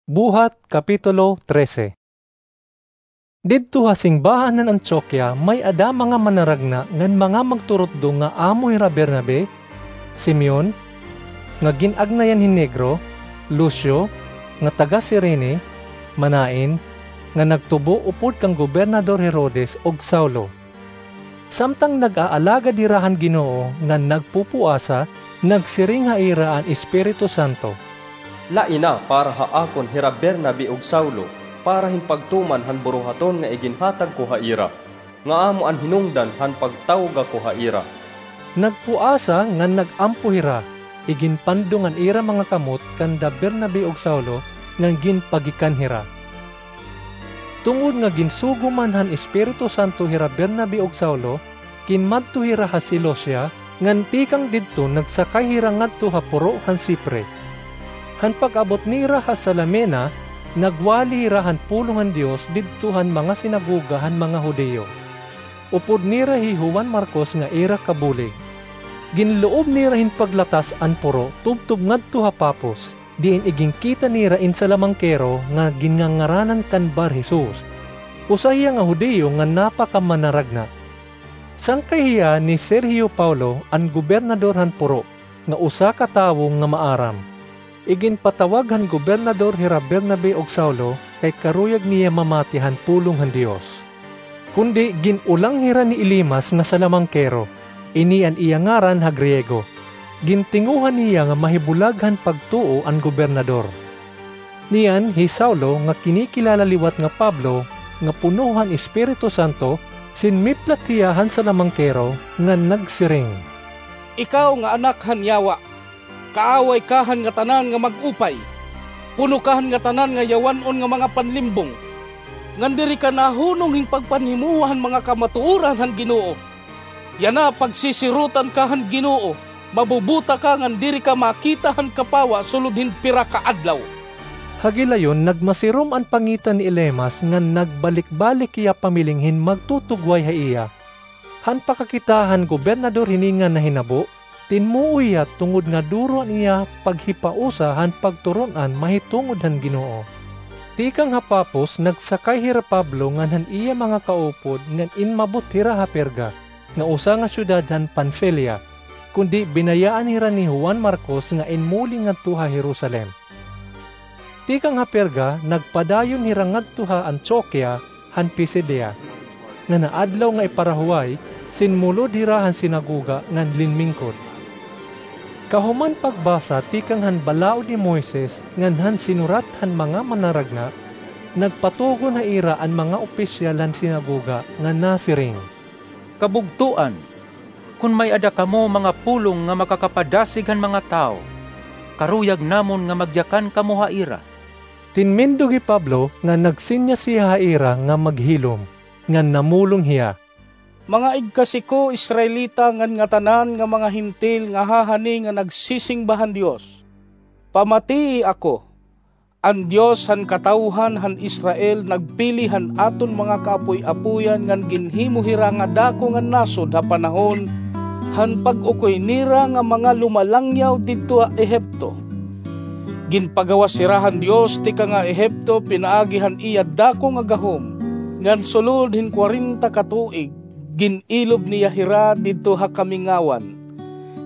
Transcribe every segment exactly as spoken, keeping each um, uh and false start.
Buhat, Kapitulo trese. Didto ha singbahan han Antioquia may-ada mga manaragna ngan mga magturutdo nga amo hira Bernabe, Simeon, nga gin-agnayan hin Negro, Lucio, nga taga-Cirene, Manaen, nga nagtubo upod kan Gobernador Herodes, ug Saulo. Samtang nag-aalagad hira han Ginoo ngan nagpupuasa, nagsiring ha ira an Espiritu Santo, "Laina para ha akon hira Bernabe ug Saulo para hin pagtuman han buruhaton nga iginhatag ko ha ira, nga amo an hinungdan han pagtawga ko ha ira." Nagpuasa ngan nag-ampo hira, iginpandong an ira mga kamot kanda Bernabe ug Saulo, ngan ginpagikan hira. Tungod nga ginsugo man han Espiritu Santo hira Bernabe ug Saulo, ginmadto hira ha Seleucia, ngan tikang didto nagsakay hira ngadto ha puro han Cipre. Han pag-abot nira ha Salamina, nagwali hira han pulong han Dios didto han mga sinagoga han mga Judio, upod nira hi Juan Marcos nga ira kabulig. Ginluob nira hin paglatas an puro tubtob ngadto ha Pafos, diin iginkita nira in salamangkero nga ginngangaranan kan Bar-Jesus. Usa hiya nga Judio nga napakamanaragna. Sangkay hiya ni Sergio Paulo, an gobernador han puro, nga usa ka tawo nga maaram. Iginpatawag han gobernador hira Bernabe ug Saulo kay karuyag niya mamati han pulong han Dios. Kundi gin-ulang hira ni Elimas nga salamangkero, ini an iya ngaran ha Griego. Gintinguha niya nga mahibulag han pagtuo an gobernador. Niyan hi Saulo nga kinikilala liwat nga Pablo nga puno han Espiritu Santo, sinmiplat hiya han salamangkero ngan nagsiring, "Ikaw nga anak han yawa, kaaway ka han ngatanan nga mag-upay, puno ka han ngatanan nga yawan-on nga mga panlimbong, ngan diri ka nahunong hin pagpanhimowa han mga kamatuoran han Ginoo. Yana, pagsisirotan ka han Ginoo, mabubuta ka ngan diri ka makita han kapawa sulod hin pira ka adlaw." Ha gilayon, nagmasirom an pangita ni Elimas ngan nagbalik-balik hiya pamiling hin magtutugway ha iya. Han pakakita han gobernador hini nga nahinabo, tinmuo hiya tungod nga duro an iya paghipausa han pagturon-an mahitungod han Ginoo. Tikang ha Pafos, nagsakay hira Pablo ngan han iya mga kaupod ngan inmabot hira ha Perga, nga usa nga syudad han Panfilia, kundi binayaan hira ni Juan Marcos nga inmuli ngadto ha Jerusalem. Tikang ha Perga, nagpadayon hira ngadto ha Antioquia han Pisidia, ngan ha adlaw nga iparahuway, sinmulod hira han sinagoga ngan linmingkod. Kahuman pagbasa tikang han Balaod ni Moises ngan han sinurat han mga manaragna, nagpatugon ha ira an mga opisyal han sinagoga nga nasiring, "Kabugtoan! Kon may-ada kamo mga pulong nga makakapadasig han mga tawo, karuyag namon nga magyakan kamo ha ira." Tinmindog hi Pablo nga nagsinyas hiya ha ira nga maghilom, ngan namulong hiya, "Mga igkasi ko Israelita ngan ngatanan nga mga Hentil nga hahani nga nagsisingba han Dios, pamatii ako. An Dios han katawhan han Israel nagpili han aton mga kaapoy-apoyan ngan ginhimo hira nga dako nga nasod ha panahon han pag-ukoy nira nga mga lumalangyaw didto ha Ehipto. Ginpagawas hira han Dios tikang ha Ehipto pinaagi han iya dako nga gahom, ngan sulod hin kwarenta ka tuig, gin-ilob niya hira didto ha kamingawan.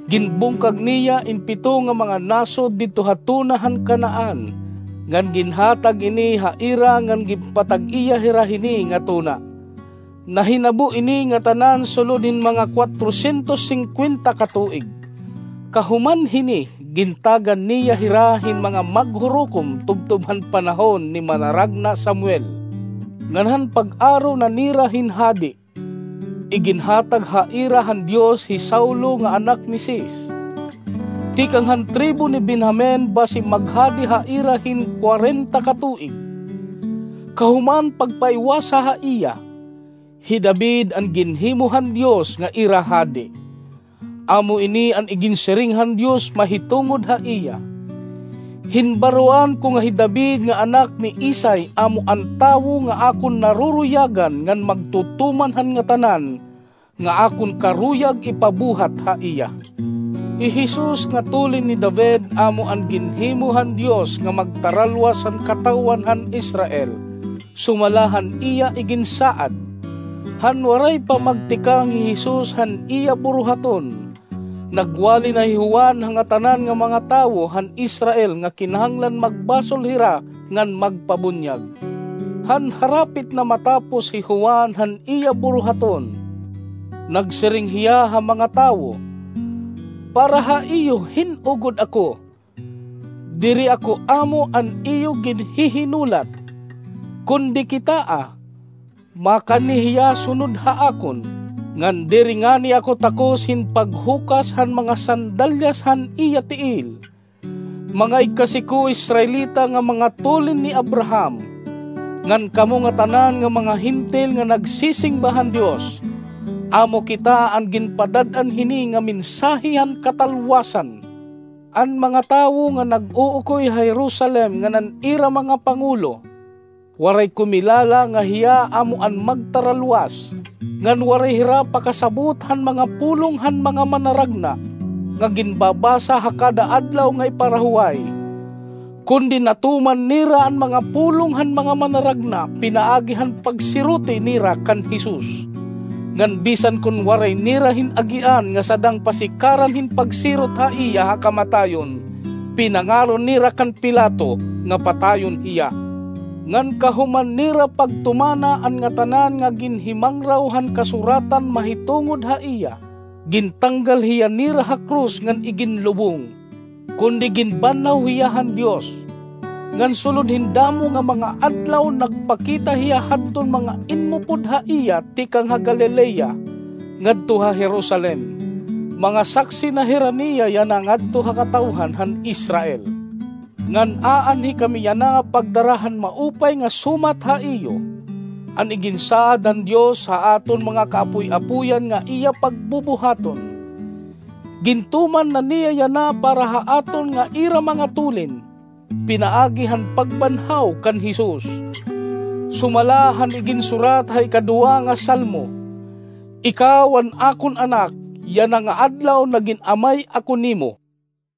Ginbungkag niya in pito nga mga nasod didto ha tuna han Canaan, ngan ginhatag ini ha ira ngan ginpatag-iya hira hini nga tuna. Nahinabo ini ngatanan sulod hin mga kwatrosyentos singkwenta ka tuig. Kahuman hini, gintagan niya hira hin mga maghurukom tubtob han panahon ni manaragna Samuel, ngan han pag-aro na nira hin hadi. Iginhatag ha ira han Dios hi Saulo nga anak ni Cis, tikang han tribo ni Benjamin, basi maghadi ha ira hin kwarenta ka tuig. Kahuman pagpaiwasa ha iya, hi David an ginhimo han Dios nga ira hadi. Amo ini an iginsiring han Dios mahitungod ha iya: 'Hinbaroan ko nga hi David nga anak ni Isai amo an tawo nga akon naruruyagan ngan magtutuman han ngatanan nga akon karuyag ipabuhat ha iya.'" Hi Jesus nga tulin ni David amo an ginhimo han Dios nga magtaralwas han katawhan han Israel, sumala han iya iginsaad. Han waray pa magtikang hi Jesus han iya buruhaton, nagwali na hi Juan ha ngatanan nga mga tawo han Israel nga kinahanglan magbasol hira ngan magpabunyag. Han harapit na matapos hi Juan han iya buruhaton, nagsiring hiya ha mga tawo, "Para ha iyo hin-o gud ako? Diri ako amo an iyo ginhihinulat, kundi kitaa, makani hiya sunod ha akon, ngan diri ngani ako takos hin paghukas han mga sandalyas han iya tiil." Mga igkasi ko Israelita nga mga tulin ni Abraham, ngan kamo ngatanan nga mga Hentil nga nagsisingba han Dios, amo kita an ginpadad-an hini nga mensahe han katalwasan. An mga tawo nga nag-uukoy ha Jerusalem ngan an ira mga pangulo, waray kumilala nga hiya amo an magtaralwas, ngan waray hira pakasabot han mga pulong han mga manaragna nga ginbabasa ha kada adlaw nga iparahuway. Kundi natuman nira an mga pulong han mga manaragna pinaagi han pagsiroti nira kan Jesus. Ngan bisan kon waray nira hin-agian nga sadang pasikaran hin pagsirot ha iya ha kamatayon, pinangaro nira kan Pilato nga patayon hiya. Ngan kahuman nira pagtumana an ngatanan nga ginhimangraw han kasuratan mahitungod ha iya, gintanggal hiya nira ha krus ngan iginlubong. Kundi ginbanhaw hiya han Dios. Ngan sulod hin damo nga mga adlaw nagpakita hiya hadton mga inmupod ha iya tikang ha Galilea ngadto ha Jerusalem. Mga saksi na hira niya yana ngadto ha katawhan han Israel. Ngan aanhi kami yana pagdara han maupay nga sumat ha iyo, an iginsaad han Dios ha aton mga kaapoy-apoyan nga iya pagbubuhaton. Gintuman na niya yana para ha aton nga ira mga tulin, pinaagi han pagbanhaw kan Jesus. Sumala han iginsurat ha ikaduha nga Salmo, "Ikaw an akon anak, yana nga adlaw nagin amay ako nimo."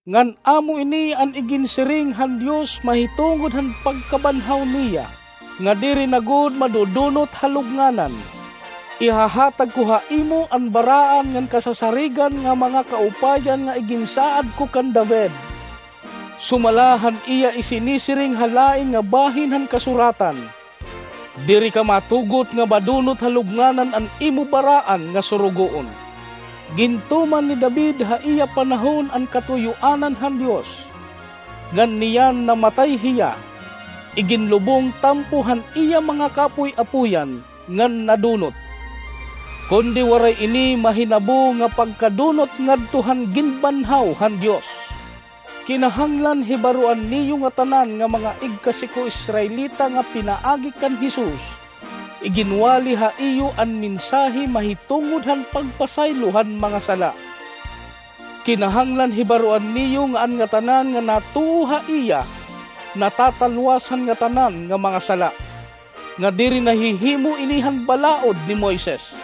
Ngan amo ini an iginsiring han Dios mahitungod han pagkabanhaw niya, nga diri na gud madudunot ha lubnganan. Ihahatag ko ha imo an baraan ngan kasasarigan nga mga kaupayan nga iginsaad ko kan David. Sumala han iya isinisiring ha lain nga bahin han kasuratan, "Diri ka matugot nga madunot ha lubnganan an imo baraan nga surugoon." Gintuman ni David ha iya panahon an katuyoanan han Dios, ngan niyan namatay hiya, iginlubong tampo han iya mga kaapoy-apoyan ngan nadunot. Kundi waray ini mahinabo nga pagkadunot ngadto han ginbanhaw han Dios. Kinahanglan hibaroan niyo ngatanan nga mga igkasi ko Israelita nga pinaagi kan Jesus, iginwali ha iyo an mensahe mahitungod han pagpasaylo han mga sala. Kinahanglan hibaroan niyo nga an ngatanan nga natuo ha iya natatalwas han ngatanan nga mga sala, nga diri nahihimo ini han balaod ni Moises.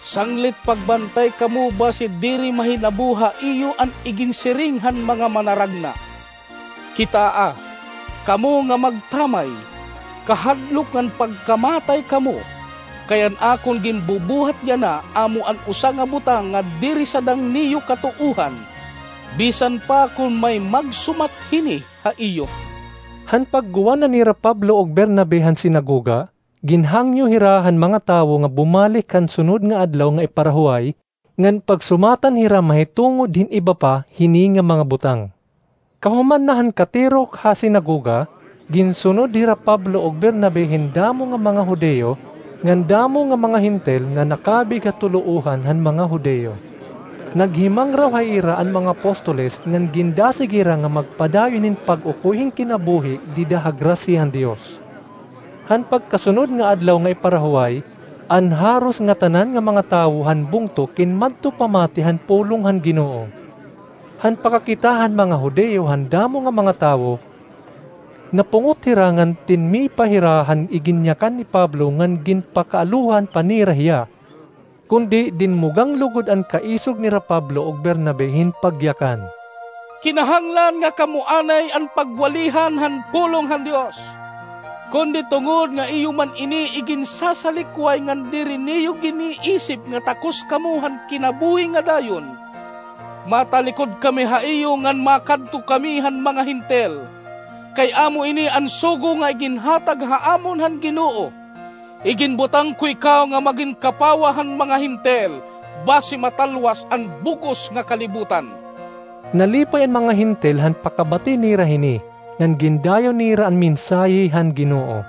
Sanglit pagbantay kamo basi diri mahinabo ha iyo an iginsiring han mga manaragna. Kitaa, kamo nga magtamay, kahadlok ngan pagkamatay kamo, kay an akon ginbubuhat yana amo an usa nga butang nga diri sadang niyo katuohan, bisan pa kon may magsumat hini ha iyo. Han pagguwa na nira Pablo ug Bernabe han sinagoga, ginhangyo hira han mga tawo nga bumalik han sunod nga adlaw nga iparahuway, ngan pagsumatan hira mahitungod hin iba pa hini nga mga butang. Kahuman na han katirok ha sinagoga, ginsunod hira Pablo ug Bernabe hin damo nga mga Judio, ngan damo nga mga Hentil nga nakabig ha tuloohan han mga Judio. Naghimangraw ha ira an mga apostoles ngan gindasig hira nga magpadayon hin pag-ukoy hin kinabuhi dida ha grasya han Dios. Han pagkasunod nga adlaw nga iparahuway, an haros ngatanan nga mga tawo han bungto kinmadto pamati han pulong han Ginoo. Han pakakita han mga Judio han damo nga mga tawo, napungot hira ngan tinmipa hira han iginyakan ni Pablo ngan ginpakaalohan pa nira hiya. Kundi dinmugang lugod an kaisog nira Pablo ug Bernabe hin pagyakan, "Kinahanglan nga kamo anay an pagwalihan han pulong han Dios. Kundi tungod nga iyo man ini iginsasalikway ngan diri niyo giniisip nga takos kamo han kinabuhi nga dayon, matalikod kami ha iyo ngan makadto kami han mga Hentil. Kay amo ini an sugo nga iginhatag ha amon han Ginoo. Iginbutang ko ikaw nga magin kapawa han mga Hentil, basi matalwas an bug-os nga kalibutan." Nalipay an mga Hentil han pakabati nira hini, ngan gindayon nira an mensahe han Ginoo.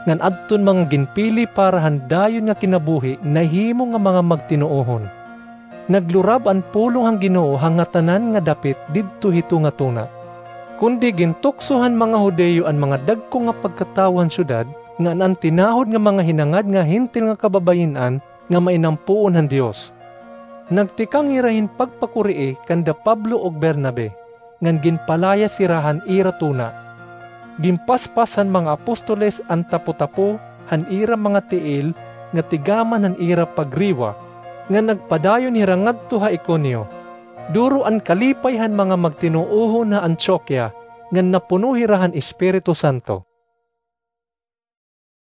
Ngan adton mga ginpili para han dayon nga kinabuhi nahimo nga mga magtinuohon. Naglurab an pulong han Ginoo ha ngatanan nga dapit didto hito nga tuna. Kundi gintukso han mga Judio an mga dagko nga pagkatawo han syudad, ngan an tinahod nga mga hinangad nga Hentil nga kababayin-an nga mainampoon han Dios. Nagtikang hira hin pagpakurii kanda Pablo ug Bernabe, ngan ginpalayas hira han ira tuna. Ginpaspas han mga apostoles an tapotapo han ira mga tiil nga tigaman han ira pagriwa, ngan nagpadayon hira ngadto ha Iconio. Duro an kalipay han mga magtinuohon ha Antioquia, ngan napuno hira han Espiritu Santo.